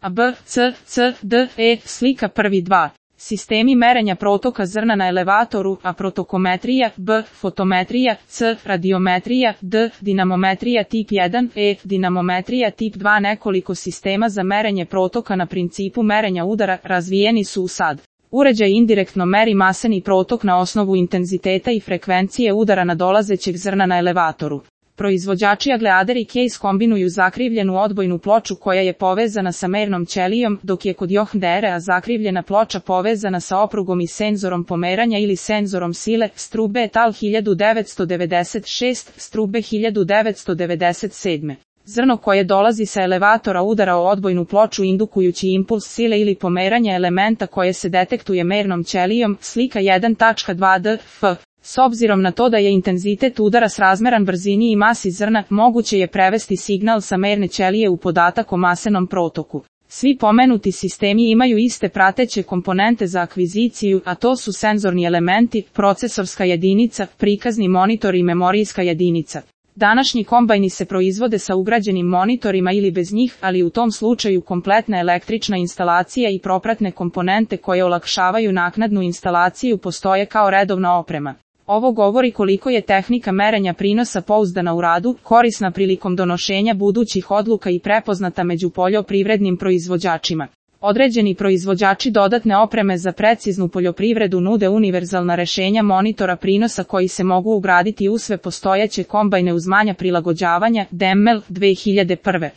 A, B, C, C, D, E, slika prvi 2. Sistemi merenja protoka zrna na elevatoru, A protokometrija, B, fotometrija, C, radiometrija, D, dinamometrija tip 1, E, dinamometrija tip 2. Nekoliko sistema za merenje protoka na principu merenja udara razvijeni su u SAD. Uređaj indirektno meri maseni protok na osnovu intenziteta i frekvencije udara nadolazećeg zrna na elevatoru. Proizvođači Agleader i Case kombinuju zakrivljenu odbojnu ploču koja je povezana sa mernom ćelijom, dok je kod John-Deere zakrivljena ploča povezana sa oprugom i senzorom pomeranja ili senzorom sile. Strube et al. 1996, Strube 1997. Zrno koje dolazi sa elevatora udara o odbojnu ploču indukujući impuls sile ili pomeranja elementa koje se detektuje mernom ćelijom. Slika 1.2d, f. S obzirom na to da je intenzitet udara srazmeran brzini i masi zrna, moguće je prevesti signal sa merne ćelije u podatak o masenom protoku. Svi pomenuti sistemi imaju iste prateće komponente za akviziciju, a to su senzorni elementi, procesorska jedinica, prikazni monitor i memorijska jedinica. Današnji kombajni se proizvode sa ugrađenim monitorima ili bez njih, ali u tom slučaju kompletna električna instalacija i propratne komponente koje olakšavaju naknadnu instalaciju postoje kao redovna oprema. Ovo govori koliko je tehnika merenja prinosa pouzdana u radu, korisna prilikom donošenja budućih odluka i prepoznata među poljoprivrednim proizvođačima. Određeni proizvođači dodatne opreme za preciznu poljoprivredu nude univerzalna rešenja monitora prinosa koji se mogu ugraditi u sve postojeće kombajne uz manja prilagođavanja. Demel, 2001.